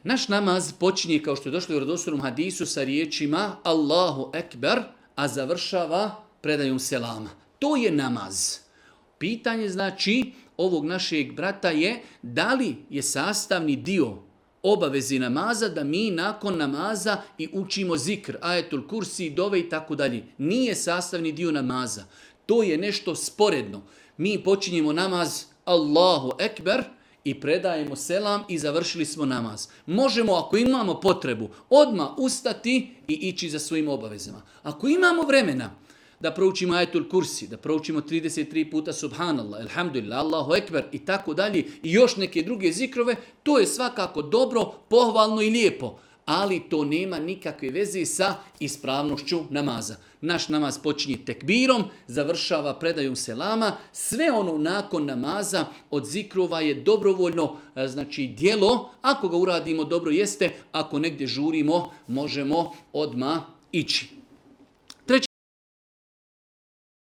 Naš namaz počinje, kao što je došlo u vjerodostojnom hadisu, sa riječima Allahu ekber, a završava predajom selama. To je namaz. Pitanje znači ovog našeg brata je da li je sastavni dio obavezi namaza da mi nakon namaza i učimo zikr, ajetul kursi, dove i tako dalje. Nije sastavni dio namaza. To je nešto sporedno. Mi počinjemo namaz Allahu ekber i predajemo selam i završili smo namaz. Možemo, ako imamo potrebu, odmah ustati i ići za svojim obavezama. Ako imamo vremena da proučimo ajetul kursi, da proučimo 33 puta subhanallah, alhamdulillah, Allahu ekber i tako dalje i još neke druge zikrove, to je svakako dobro, pohvalno i lijepo. Ali to nema nikakve veze sa ispravnošću namaza. Naš namaz počinje tekbirom, završava predajom selama. Sve ono nakon namaza od zikrova je dobrovoljno, znači djelo. Ako ga uradimo dobro jeste, ako negdje žurimo, možemo odmah ići.